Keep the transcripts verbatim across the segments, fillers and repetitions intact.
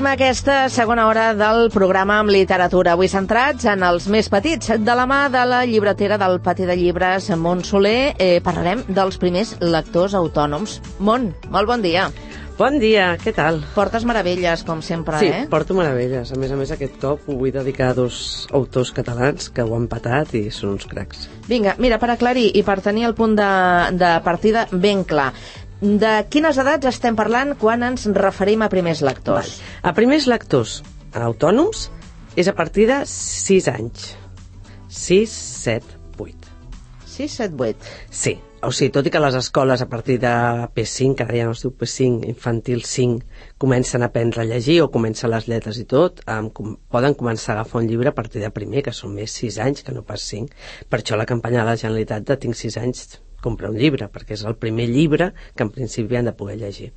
aquesta segona hora del programa amb literatura. Avui centrats en els més petits. De la mà de la llibretera del Pati de Llibres, Mont Soler, eh, parlarem dels primers lectors autònoms. Mont, molt bon dia. Bon dia, què tal? Portes meravelles, com sempre, sí, eh? Sí, porto meravelles. A més a més, aquest cop ho vull dedicar a dos autors catalans que ho han patat i són uns cracs. Vinga, mira, per aclarir i per tenir el punt de, de partida ben clar, de quines edats estem parlant quan ens referim a primers lectors? Val. A primers lectors autònoms és a partir de sis anys. sis, set, vuit. sis, set, vuit. Sí, o sigui, tot i que les escoles a partir de P cinc, ara ja no es diu P cinc, infantil cinc, comencen a aprendre a llegir o comencen les lletres i tot, um, com, poden començar a agafar un llibre a partir de primer, que són més sis anys que no pas cinc. Per això la campanya de la Generalitat de tinc sis anys, comprar un llibre, perquè és el primer llibre que en principi han de poder llegir.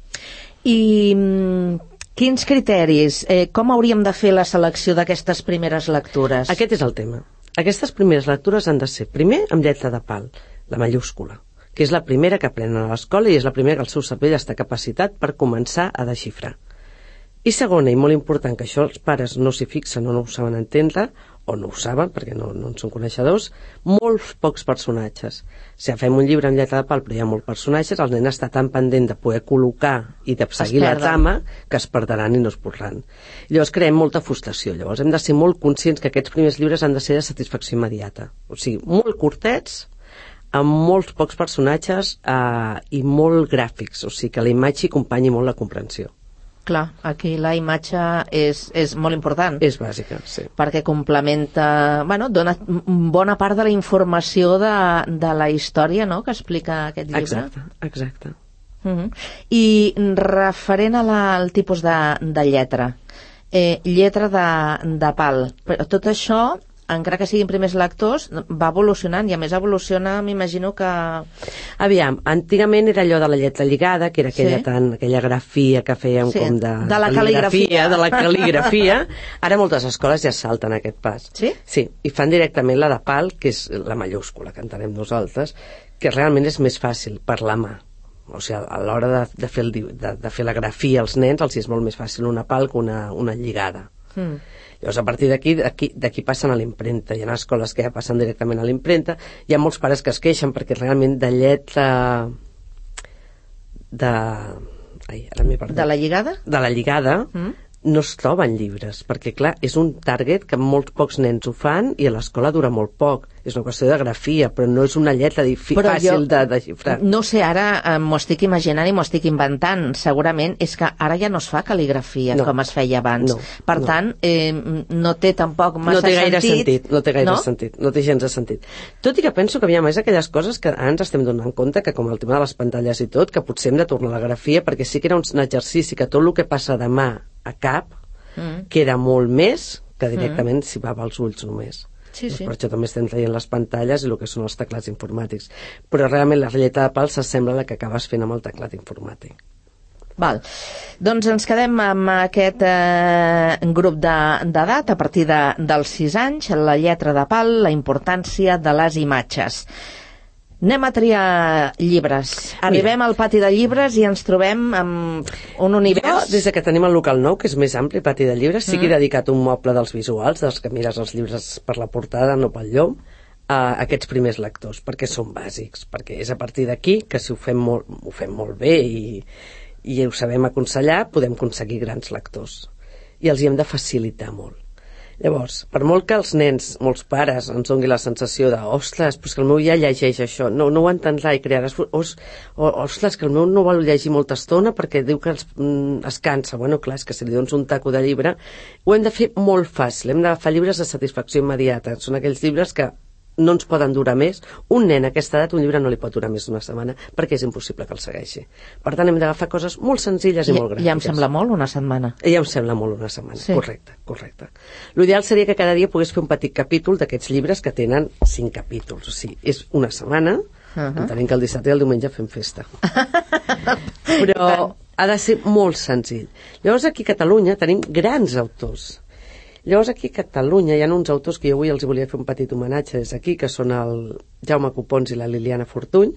I mm, quins criteris? Eh, com hauríem de fer la selecció d'aquestes primeres lectures? Aquest és el tema. Aquestes primeres lectures han de ser, primer, amb lletra de pal, la mayúscula, que és la primera que aprenen a l'escola i és la primera que el seu cervell està capacitat per començar a desxifrar. I segona, i molt important, que això els pares no s'hi fixen o no ho saben entendre, o no ho saben, perquè no, no en són coneixedors, molts pocs personatges. Si fem un llibre amb lletra de pal però hi ha molts personatges, el nen està tan pendent de poder col·locar i de seguir la trama que es perdran i no es podran. Llavors creem molta frustració. Llavors hem de ser molt conscients que aquests primers llibres han de ser de satisfacció immediata. O sigui, molt curtets, amb molts pocs personatges eh, i molt gràfics, o sigui que la imatge acompanyi molt la comprensió. Clar, aquí la imatge és, és molt important. És bàsica, sí. Perquè complementa, bueno, dona bona part de la informació de, de la història, no?, que explica aquest llibre. Exacte, exacte. Uh-huh. I referent a la, al tipus de, de lletra, eh, lletra de, de pal, però tot això, encara que siguin primers lectors, va evolucionant, i a més evoluciona, m'imagino que... Aviam, antigament era allò de la lletra lligada, que era aquella, sí? tant, aquella grafia que fèiem sí, com de... De la cal·ligrafia. De la cal·ligrafia. Ara moltes escoles ja salten aquest pas. Sí? Sí, i fan directament la de pal, que és la mayúscula, que entenem nosaltres, que realment és més fàcil per la mà. O sigui, a l'hora de, de, fer el, de, de fer la grafia als nens, els és molt més fàcil una pal que una, una lligada. Mm. Llavors, a partir d'aquí d'aquí passen a l'impremta. Hi ha escoles que ja passen directament a l'impremta. Hi ha molts pares que es queixen perquè realment de lletra de... Ai, ara m'he perdut. De la lligada? De la lligada mm. no es troben llibres, perquè clar, és un target que molts pocs nens ho fan i a l'escola dura molt poc. És una qüestió de grafia, però no és una lletra fàcil de desxifrar. No sé, ara eh, m'ho estic imaginant i m'ho estic inventant. Segurament és que ara ja no es fa cal·ligrafia no. com es feia abans. No, per no. tant, eh, no té tampoc massa no té gaire sentit. sentit. No té gaire no? sentit. No té gens de sentit. Tot i que penso que hi ha més aquelles coses que ara ens estem donant compte que, com el tema de les pantalles i tot, que potser hem de tornar a la grafia, perquè sí que era un exercici que tot el que passa de mà a cap mm. queda molt més que directament mm. si va als ulls només. Sí, sí. Per això també estem traient les pantalles i el que són els teclats informàtics. Però realment la lletra de pal s'assembla a la que acabes fent amb el teclat informàtic. Val. Doncs ens quedem amb aquest eh, grup d'edat, de, a partir de, dels sis anys, la lletra de pal, la importància de les imatges. Anem a triar llibres. Arribem Mira. al pati de llibres i ens trobem amb un univers... Jo, des que tenim el local nou, que és més ampli, pati de llibres, sí que he dedicat un moble dels visuals, dels que mires els llibres per la portada, no pel llom, a aquests primers lectors, perquè són bàsics, perquè és a partir d'aquí que si ho fem molt, ho fem molt bé i, i ho sabem aconsellar, podem aconseguir grans lectors. I els hi hem de facilitar molt. Llavors, per molt que els nens, molts pares, ens doni la sensació de ostres, però que el meu ja llegeix això, no, no ho entendrà i crearàs... Os, ostres, que el meu no vol llegir molta estona perquè diu que es, mm, es cansa. Bueno, clar, és que si li dones un taco de llibre, ho hem de fer molt fàcil, hem d'agafar llibres de satisfacció immediata. Són aquells llibres que no ens poden durar més. Un nen a aquesta edat, un llibre no li pot durar més d'una setmana perquè és impossible que el segueixi. Per tant, hem d'agafar coses molt senzilles i, i molt gràfiques. Ja em sembla molt una setmana. Ja em sembla molt una setmana, sí. correcte, correcte. L'ideal seria que cada dia pogués fer un petit capítol d'aquests llibres que tenen cinc capítols. O sigui, és una setmana, uh-huh. entenent que el dissabte i el diumenge fem festa. Però ha de ser molt senzill. Llavors, aquí a Catalunya tenim grans autors. Llavors aquí a Catalunya hi ha uns autors que jo avui els volia fer un petit homenatge des d'aquí, que són el Jaume Copons i la Liliana Fortuny,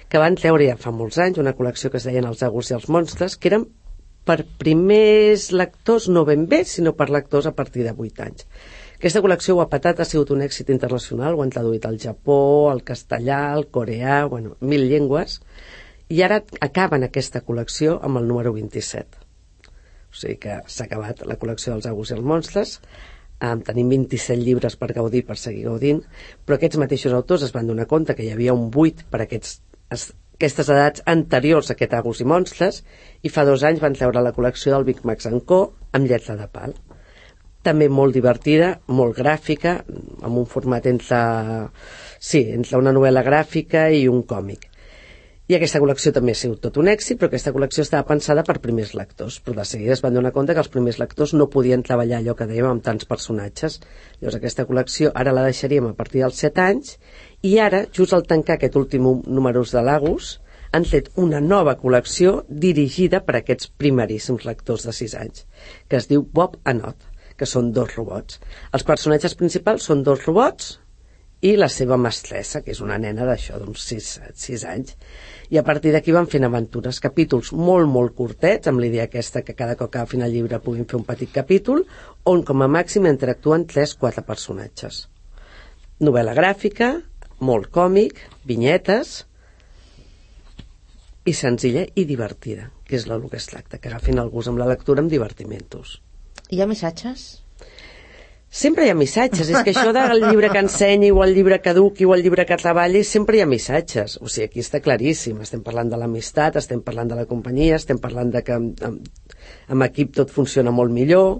que van treure ja fa molts anys una col·lecció que es deien Els àgurs i els monstres, que eren per primers lectors no ben bé, sinó per lectors a partir de vuit anys. Aquesta col·lecció ho ha patat, ha sigut un èxit internacional, ho han traduït al Japó, al castellà, al coreà, bueno, mil llengües, i ara acaben aquesta col·lecció amb el número vint-i-set. O sigui que s'ha acabat la col·lecció dels Agus i els monstres, eh, tenim vint-i-set llibres per gaudir, per seguir gaudint, però aquests mateixos autors es van donar compte que hi havia un buit per aquests, aquestes edats anteriors a aquest Agus i monstres, i fa dos anys van treure la col·lecció del Big Max and Co. amb lletra de pal. També molt divertida, molt gràfica, amb un format entre, sí, entre una novel·la gràfica i un còmic. I aquesta col·lecció també ha sigut tot un èxit, però aquesta col·lecció estava pensada per primers lectors, però de seguida es van donar compte que els primers lectors no podien treballar allò que dèiem amb tants personatges. Llavors aquesta col·lecció ara la deixaríem a partir dels set anys, i ara, just al tancar aquest últim número de l'Agus, han fet una nova col·lecció dirigida per a aquests primeríssims lectors de sis anys, que es diu Bob and Odd, que són dos robots. Els personatges principals són dos robots i la seva mestressa, que és una nena d'això, d'uns sis anys. I a partir d'aquí van fent aventures, capítols molt, molt curtets, amb l'idea aquesta que cada cop que agafin el llibre puguin fer un petit capítol, on com a màxim interactuen tres quatre personatges. Novel·la gràfica, molt còmic, vinyetes, i senzilla i divertida, que és el que es tracta, que agafin el gust amb la lectura amb divertimentos. Hi ha missatges? Sempre hi ha missatges, és que això del llibre que ensenyi o el llibre que eduqui o el llibre que treballi, sempre hi ha missatges. O sigui, aquí està claríssim, estem parlant de l'amistat, estem parlant de la companyia, estem parlant de que amb, amb, amb equip tot funciona molt millor,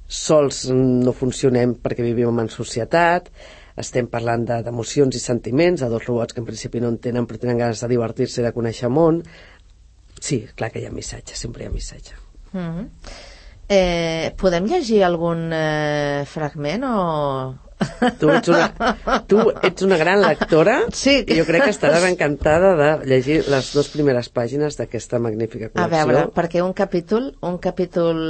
sols no funcionem perquè vivim en societat, estem parlant d'emocions i sentiments, de dos robots que en principi no entenen però tenen ganes de divertir-se i de conèixer món. Sí, clar que hi ha missatge, sempre hi ha missatge. Mm-hmm. Eh, podem llegir algun eh, fragment o... Tu ets, una, tu ets una gran lectora, sí. I jo crec que estaràs encantada de llegir les dues primeres pàgines d'aquesta magnífica col·lecció. A veure, perquè un capítol, un capítol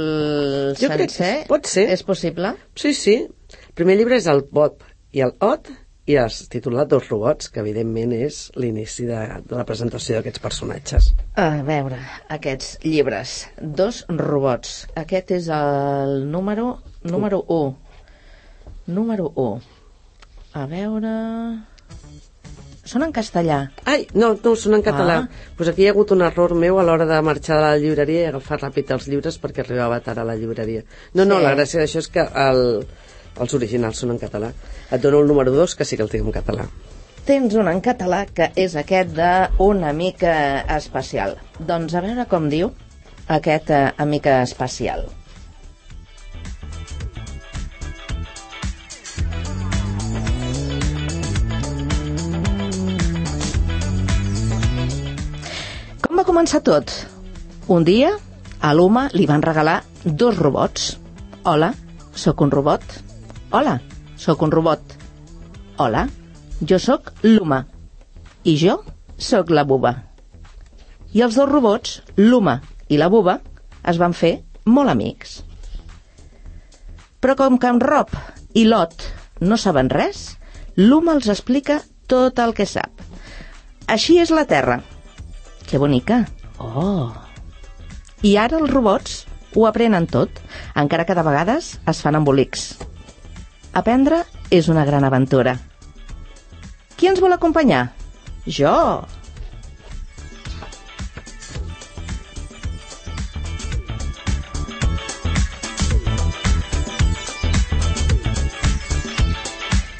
jo sencer, pot ser. És possible? Sí, sí. El primer llibre és el Bob i el Odd, i es titulat Dos robots, que evidentment és l'inici de, de la presentació d'aquests personatges. A veure, aquests llibres. Dos robots. Aquest és el número número u. Número u. A veure... Són en castellà. Ai, no, no, són en català. Ah. Pues aquí hi ha hagut un error meu a l'hora de marxar de la llibreria i agafar ràpid els llibres perquè arribava tard a la llibreria. No, no, sí. La gràcia d'això és que el... els originals són en català. Et dono el número dos, que sí que el tinc en català. Tens un en català, que és aquest de Una mica especial. Doncs a veure com diu aquest uh, Amica especial. Com va començar tot? Un dia, a l'Uma li van regalar dos robots. Hola, sóc un robot. Hola, sóc un robot. Hola, jo sóc l'Uma. I jo sóc la Buba. I els dos robots, l'Uma i la Buba, es van fer molt amics. Però com que en Rob i Lot no saben res, l'Uma els explica tot el que sap. Així és la Terra. Que bonica. Oh. I ara els robots ho aprenen tot, encara que de vegades es fan embolics. Aprendre és una gran aventura. Qui ens vol acompanyar? Jo!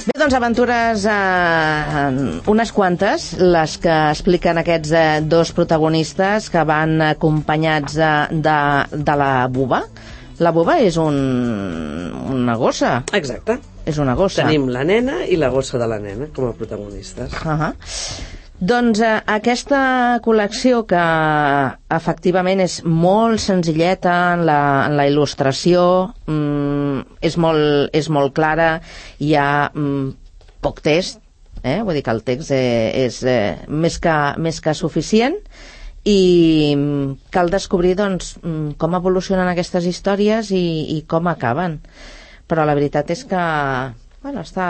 Bé, doncs aventures eh, unes quantes, les que expliquen aquests eh, dos protagonistes que van acompanyats de, de, de la Buba. La Buba és un, una gossa. Exacte. És una gossa. Tenim la nena i la gossa de la nena com a protagonistes. Uh-huh. Doncs eh, aquesta col·lecció, que efectivament és molt senzilleta en la, en la il·lustració, mm, és, molt, és molt clara, hi ha mm, poc text, eh? Vull dir que el text eh, és eh, més, que, més que suficient, i cal descobrir doncs, com evolucionen aquestes històries i, i com acaben. Però la veritat és que bueno, està,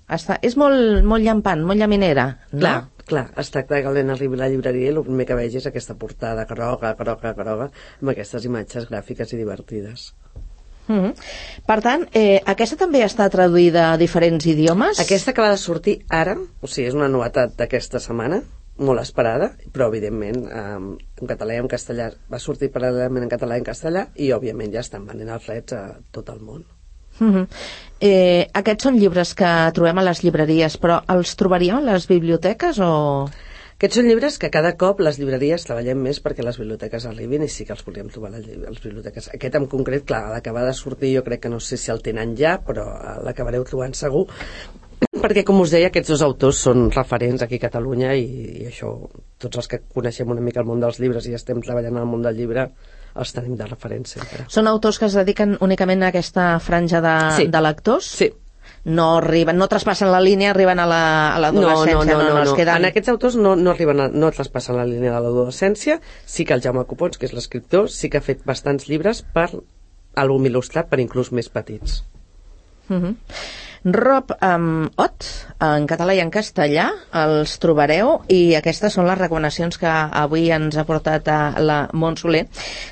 està, és molt, molt llampant, molt llaminera, no? Clar, Clar, es tracta que el nen arribi a la llibreria i el primer que vegi és aquesta portada groga, groga, groga, amb aquestes imatges gràfiques i divertides. Mm -hmm. Per tant, eh, aquesta també està traduïda a diferents idiomes? Aquesta acaba de sortir ara, o sigui, és una novetat d'aquesta setmana, molt esperada, però evidentment eh, en català i en castellà va sortir paral·lelament en català i en castellà i òbviament ja estan venent els drets a tot el món. Mm -hmm. eh, aquests són llibres que trobem a les llibreries, però els trobaríem a les biblioteques o...? Aquests són llibres que cada cop les llibreries treballem més perquè les biblioteques arribin i sí que els volíem trobar a les biblioteques. Aquest en concret, clar, l'acabar de sortir jo crec que no sé si el tenen ja, però l'acabareu trobant segur, perquè com us deia aquests dos autors són referents aquí a Catalunya i, i això, tots els que coneixem una mica el món dels llibres i estem treballant en el món del llibre els tenim de referència sempre. Són autors que es dediquen únicament a aquesta franja de, sí. de lectors? Sí. No arriben, no traspassen la línia, arriben a l'adolescència, la, no, no, no, no, no, no, es queden... En aquests autors no, no arriben a, no traspassen la línia de l'adolescència. Sí que el Jaume Copons, que és l'escriptor, sí que ha fet bastants llibres per àlbum il·lustrat per inclús més petits. Uh -huh. Rob um, Ott, en català i en castellà, els trobareu, i aquestes són les recomanacions que avui ens ha portat a la Mont Soler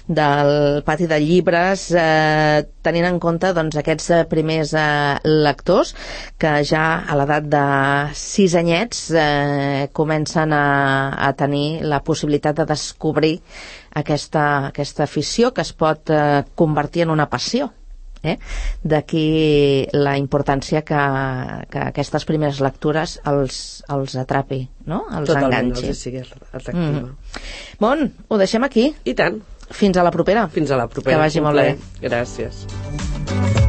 del Pati de Llibres, eh, tenint en compte doncs, aquests primers eh, lectors que ja a l'edat de sis anyets eh, comencen a, a tenir la possibilitat de descobrir aquesta, aquesta afició que es pot eh, convertir en una passió. Eh? D'aquí la importància que, que aquestes primeres lectures els, els atrapi, no? Els Totalment, enganxi. els sigui atractiva. Mm. Bon, ho deixem aquí. I tant. Fins a la propera. Fins a la propera. Que vagi molt bé. Gràcies.